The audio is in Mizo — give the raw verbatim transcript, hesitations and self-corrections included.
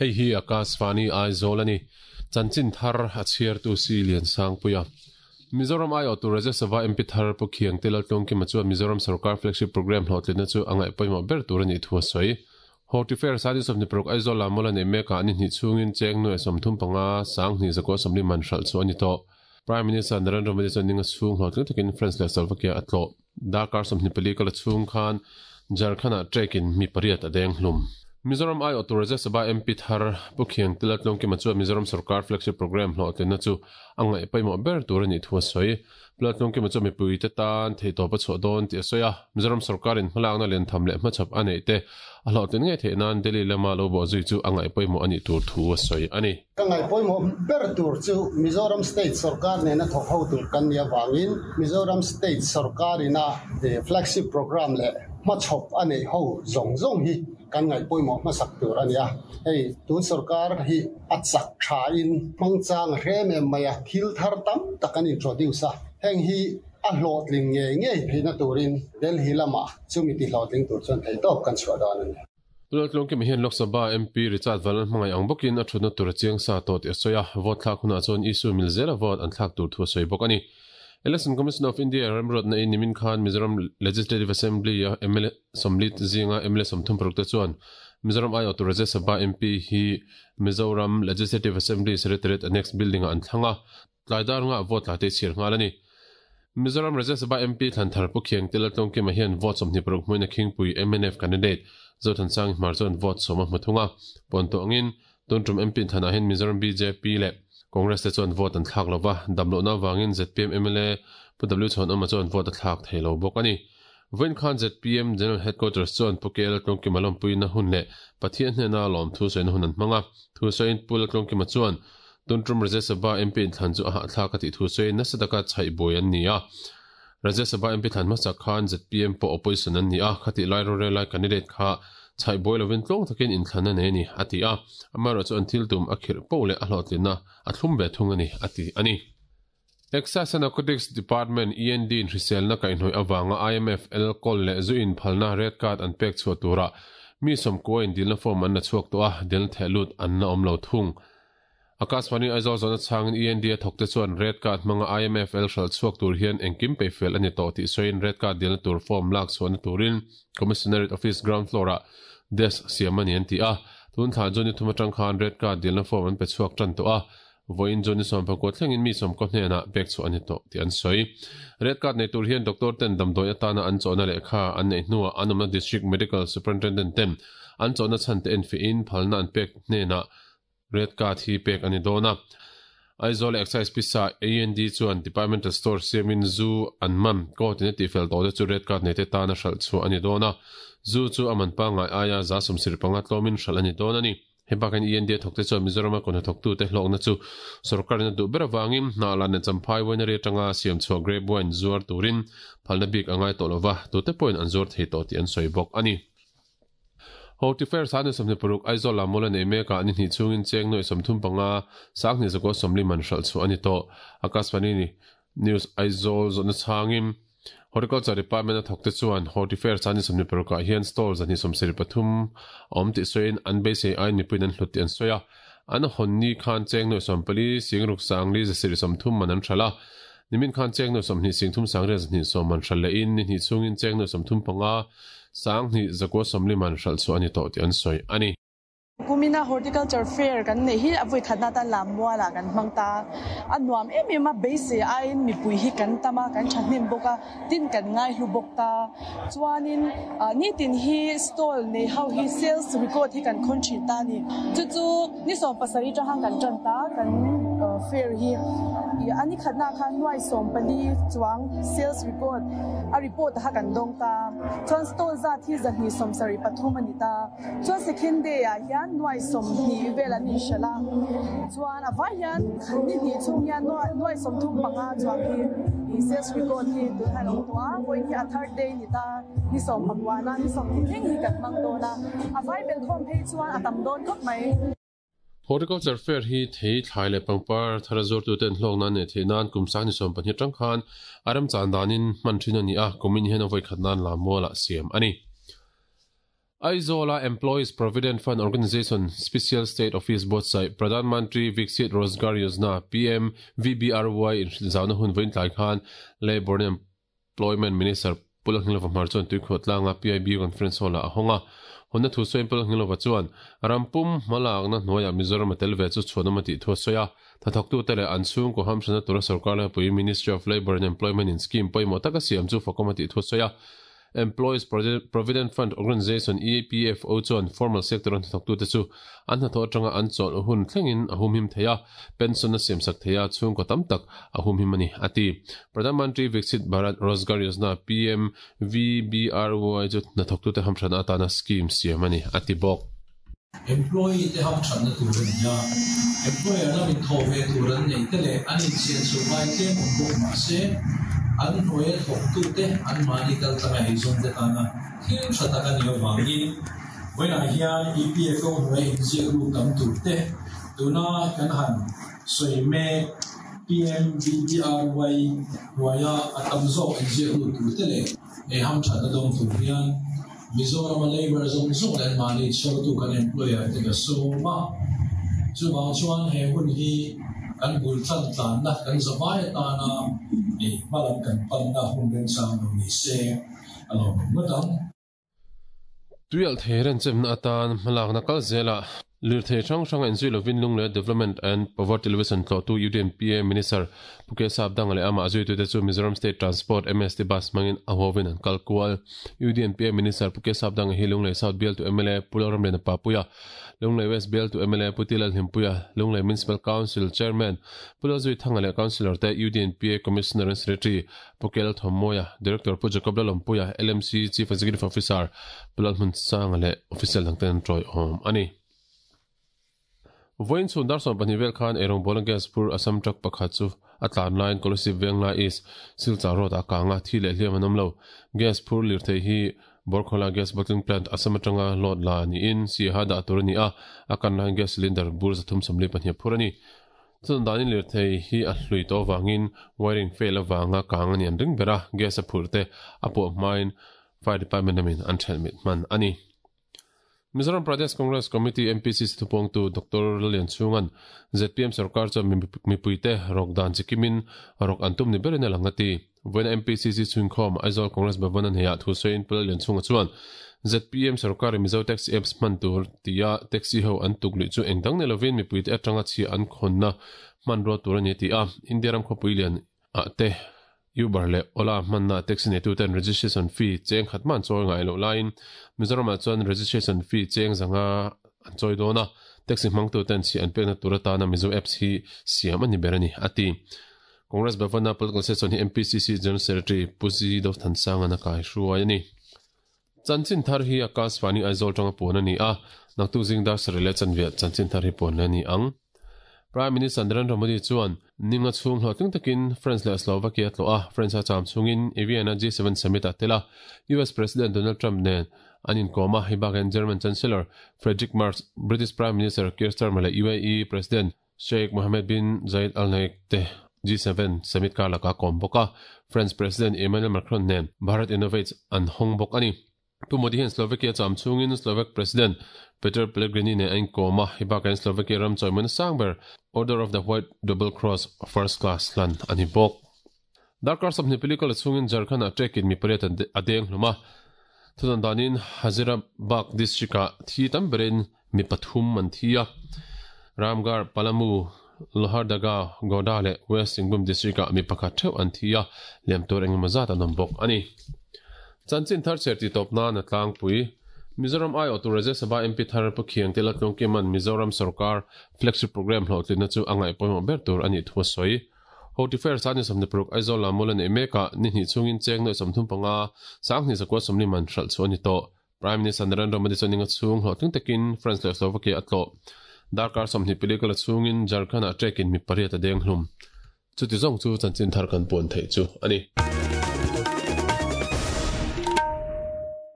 Hei hi Akashvani Aizawl ani. Chanchin thar a chhiartu si Lian Sangpuia. Mizoram aiawh tur Rajya Sabha M P thar Pu Khiangte Laltlawngkima chuan Mizoram Sarkar Flagship Programme hlawhtlinna chu a ngaih pawimawh ber tur a nih thu a sawi. Hortifair Sani sawmhnih paruk Aizawl lam mawla nei mekah ni hnih chhungin cheng nuai sawmthum panga sanghnih zakua sawmli man hralh chu a ni tawh. Prime Minister Narendra Modi chuan ninga chhung hlawhtling takin France leh Slovakia a tlawh. Darkar sawmhnih pali kala chhung khan Jharkhand-ah trek-in mi pariat a deng hlum. Mizoram aiawh tur Rajya Sabha M P thar Pu Khiangte Laltlawngkima chuan Mizoram Sarkar Flagship Programme hlawhtlinna chu a ngaih pawimawh ber tur a nih thu a sawi. Pu Laltlawngkima chuan mipuite tan theihtawp a chhuah dawn tih a sawi a. Mizoram Sarkarin hmalakna liantham leh hmachhawp a neih te a hlawhtlin ngei theih nan Delhi lama lo bawh zui chu a ngaih pawimawh a nih tur thu a sawi a ni. Ka ngaih pawimawh ber tur chu Mizoram State Sarkar nena thawk ho tur kan nih avangin Mizoram State Sarkarina Flagship Programme leh hmachhawp a neih ho zawng zawng hi kan ngaih pawimawh hmasak tur a ni a. Hei tun sarkar hi a chak tha in hmangchang hrem em mai a, thil thar tam tak an introduce a. Heng hi a hlawhtling ngei ngei theihna turin Delhi lama chumi ti hlawhtling tur chuan theihtawp kan chhuah dawn a ni. Laltlawngkima hian Lok Sabha M P Richard Valan hmangaih ang bawkin a thutna tur a chiang sa tawh tih a sawi a. Vote thlak hunah chuan issue mil zela vote an thlak tur thu a sawi bawk a ni. Election Commission of India remruatna in nimin khan Mizoram Legislative Assembly a M L A sawmli zinga M L A sawmthum paruk te chuan Mizoram aiawh tur Rajya Sabha M P hi Mizoram Legislative Assembly Secretariat Annex Building ah an thlang a, tlaidar nga vote la te chhir nghal a ni. Mizoram Rajya Sabha M P Thlanthar Pu Khiangte Laltlawngkima hian vote sawmhnih paruk hmuina Khingpui M N F candidate Zothansang Hmar chuan vote sawm a hmu thung a. Pawn tawh angin tuntum M P Thlanah hian Mizoram B J P leh Congress te chuan vote an thlak lova, damlohna wangin Z P M M L A Pu W Chhawn Awma chuan vote a thlak thei lo bawk a ni. Vawiin khan Z P M General Headquarters chuan Pu K Laltlawngkima lawmpuina hun leh Pathian hnena lawm thu sawina hun an hmang a. Thu sawiin Pu Laltlawngkima chuan tuntum Rajya Sabha M P inthlan chu a hahthlak a tih thu sawiin nasa taka chhaih buai an ni a. Rajya Sabha M P thlan hmasak khan Z P M pawh opposition an ni a, khati lai rorel lai candidate kha chhaih buai lovin tlawng takin inthlan a nei a ni a ti a. Amaherawhchu chu an thil tum a khirh poh leh a hlawhtlinna a thlum ve thung a ni a ti a ni. Excise and Narcotics Department E N D in hriselna kaihhnawih awanga I M F L kawl leh zu in phalna red card an pek chhuah tura mi sawmkua in dilna form an la chhuak tawh a, dilna theh lut an la awm lo thung. Akashvani Aizawl zawhna chhangin E N D a thawk te chuan red card hmanga I M F L hral chhuak tur hian engkim pe fel a ni tawh tih sawiin red card dilna tur form lak chhuahna turin Commissionerate Office ground floor ah desk siam a ni an ti a. Tun thla chu ni thum atang khan red card dilna form an pe chhuak tan tawh a. Vawiin chu ni sawm pakua thlengin mi sawmkaw hnenah pek chhuah a ni tawh tih an sawi. Red card nei tur hian doctor ten damdawi atana an chawhna lehkha an neih hnuah an awmna District Medical Superintendent ten an chawhna chhan te en fiin phalna an pek hnenah red card hi pek a ni dawn a. Aizawl Excise Pisa A N D chuan Departmental Store siamin zu an man court in a tihfel tawh te chu red card nei te tan a hralh chhuah a ni dawn a. Zu chu a man pangngai aia za sawmsir panga tlawmin hralh a ni dawn a ni. Hebakin E N D a thawk te chuan Mizoram a kawhna thawktu te hlawkna chu sarkarin a duh ber awangin hnah lan leh champhai winery atanga siam chhuah grape wine zuar turin phalna bik a ngai tawh lova, tute pawhin an zuar thei tawh tih an sawi bawk a ni. Hortifair Sani sawmhnih paruk Aizawl lam mawla nei mekah ni hnih chhungin cheng nuai sawmthum panga sanghnih zakua sawmli man hralh chhuah a ni tawh. Akashvani News Aizawl zawhna chhangin Horticulture Department a thawk te chuan Hortifair Sani sawmhnih parukah hian stall zahnih sawmsarih pathum a awm tih sawiin an beisei aiin mipuiin an hlut tih an sawi a. An hawn ni khan cheng nuai sawmpali singruk sangli zasarih sawmthum man an hralh a. Nimin khan cheng nuai sawmhnih singthum sangriat zahnih sawm man hralh lehin ni hnih chhungin cheng nuai sawmthum panga sanghnih zakua sawmli man hralh chhuah a ni tawh tih an sawi a ni. Kumina Horticulture Fair kan nei hi a vui khatna tan lam muala kan hmang ta. A nuam em em a beisei aiin mipui hi kan tama kan thahnem bawk a, tin kan ngai hlu bawk ta. Chuanin ni tin hi stall nei ho hi sales record hi kan khawn thin ta ni. Chu chu ni sawm pasarih tang kan tan ta kan fair hi. Ani khatna khan nuai sawm pali chuang sales record a report ha kan dawng ta. Chuan stall zat hi zahnih sawm sarih pathum ani ta. Chuan second day ah hian nuai som ni vel an inshala. Chuan a vai hian ni hnih chhung hian nuai sawm thum panga chuang hi sales record hi tun han awm tawh a. Vawiin hi a third day ni ta, ni sawm pakua ni sawm thleng hi kan hmang dawn a. A vai bel khawm phei chuan a tam dawn khawp mai. Horticulture Fair hi thei thlai leh pangpar thar zuar tu ten hlawk nan nei thei nan kum sang ni sawm pahnih tang khan aram chan danin hman thin a ni a, kumin hian a vawi khat nan lam muala siam a ni. Aizola Employees Provident Fund Organization Special State Office buatsaih Pradhan Mantri Viksit Rozgar Yojana, P M V B R Y, inhrilhzauna hun vawiin tlai khan Labour and Employment Minister Pu Lalngilova Hmar chuan tuikhawh tlanga P I B Conference Hall-ah a hawng a. Hunna thu sawiin Pu Lalngilova chuan rampum hmalakna hnuaiah Mizoram a tel ve chu chhuanawm a tih thu a sawi a. Thathawktute leh an chhungkaw hamhrana tura sorkar laipui Ministry of Labour and Employment in scheme pawimawh taka siam chu fakawm a tih thu a sawi a. Employees Provident Fund Organization, E P F O, chuan formal sector an hnathawktute chu an hnathawh atanga an chawlh hun thlengin a humhim thei a, pension a siamsak thei a, chhungkaw tam tak a humhim a ni, a ti. Pradhan Mantri Viksit Bharat Rozgar Yojana, P M V B R Y, chu hnathawktute hamhrana atana scheme siam a ni, a ti bawk. Employee te hamhrana tur a ni a, employer lamin thaw ve tur an nei te leh an insian chho ngai tlem awm bawk mah se, an hnuai thawktute an mahni kal tlanga eizawn te tana thil tha tak a ni avangin vawiinah hian E P F O hnuai inziak lut tam tur te tuna kan han sawi mek P M V B R Y hnuaia a tam zawk inziak lut tur te leh ei hamthatna dawng tur hian Mizoram Labour zawng zawng leh an mahni chhawrtu kan employer te ka sawm a. Chuvang chuan he hun hi kan bul tlan tlanna kan zavai atana ni hmalam kan panna hun remchang lo ni se a lawm ngawt ang. Tuial thei renchemna atan hmalakna kal zela lirthei hrang hranga inzui lovin Lunglei Development and Poverty Alleviation tlawhtu U D N P A Minister Pu K Sapdanga leh amah zuitute chu Mizoram State Transport M S T Bus hmangin a huavin an kal kual. U D N P A Minister Pu K Sapdanga hi Lunglei South Bialtu M L A Pu Lalramliana Papuia, Lunglei West Bialtu M L A Pu Tilal Hlimpuia, Lunglei Municipal Council Chairman Pu Lalzui Thanga leh Councillor te U D N P A Commissioner and Secretary Pu K Lalthawmawia, Director Pu Jacob Lalawmpuia, L M C Chief Executive Officer Pu Lalhmun Sanga leh Official dangten an tawi awm a ni. Vawiin chhun dar sawm pahnih vel khan Erong Bolan Gas phur Assam truck pakhat chu a tlan laiin Kolasib Venglai East Silchar Road ah kanga thi leh hliam an awm lo. Gas phur lirthei hi Borkhola Gas Bottling Plant Assam atanga load la niin Siaha dah tur a ni a, a kan laiin gas cylinder bur zathum sawmli pahnih phur a ni. Chun danin lirthei hi a hlui tawh avangin wiring fail avanga kang a ni an ring ber a, gas a phur te a pawh hmain Fire Department lamin an ṭhelh mit hman a ni. Mizoram Pradesh Congress Committee M P C C thupawngtu Doctor Lalian Chhungan Z P M sarkar chuan mipuite rok dan chikimin rok an tum ni berin a lang a ti. Vawiina M P C C chhungkhawm Aizawl Congress Bhavan an heiah thu sawiin Pu Lalian Chhunga chuan Z P M sarkar Mizo taxi apps hman tur tia taxi ho an tuk luih chu engdang ni lovin mipuite atanga chhia an khawnna hman rual tur a ni ti a. India ram khawpui lian ah te Uber leh Ola hmanna taxi neituten registration fee cheng khat man chawi ngai loh laiin Mizoramah chuan registration fee cheng zanga an chawi dawn a, taxi hmangtuten chhi an pekna tur atana Mizo apps hi siam a ni ber a ni a ti. Congress Bhavana Political Session hi M P C C General Secretary Pu Zidov Thansanga na kai hruai a ni. Chanchin thar hi Akashvani Aizawl tanga puan a ni a, naktuk zing dar sarih leh chanve chanchin thar hi puan le a ni ang. Prime Minister Narendra Modi chuan ninga chhung hlawhtling takin France leh Slovakia tlawh a, France a cham chungin Vienna G seven summit ah tel a, U S President Donald Trump nen an inkawm a, hei bakin German Chancellor Friedrich Merz, British Prime Minister Keir Starmer leh U A E President Sheikh Mohammed bin Zayed Al Nahyan te G seven summit kar lakah kawm bawk a, France President Emmanuel Macron nen Bharat Innovates an hawng bawk a ni. Pu Modi hian Slovakia cham chungin Slovak President Peter Pellegrini nen a inkawm a, hei bakah Slovakia ram chawimawn sang ber Order of the White Double Cross First Class hlan a ni bawk. Darkar sawmhnih pali kal chungin Jharkhand ah trekin mi pariat a deng hlum a, thudan danin Hazaribagh district ah thi tam berin mi pathum an thi a, Ramgarh, Palamu, Lohardaga, Godda leh West Singhbhum district ah mi pakhat theuh an thi a, liam tur engemaw zat an awm bawk a ni. Chanchin thar cher ti tawp nan a tlangpui Mizoram Ai Awtu Rajya Sabha M P thar Pu Khiang te Laltlung Kiman Mizoram Sarkar flagship program hlawhtlinna chu a ngaih pawimawh ber tur a nih thu a sawi. Hoti Fair sani sawmhnih paruk Aizawl Lamul a neih mekah ni hnih chungin cheng nuaih sawmthum panga sanghnih zakua sawmli man hralh chu a ni tawh. Prime Minister Narendra Modi chuan ninga chhung hlawhtling takin France leh Slovakia a tlawh. Darkar sawmhnih pali kal a chungin Jharkhand ah trekin mi pariat a deng hlum. Chuti zawng chu chanchin thar kan puan theih chu a ni.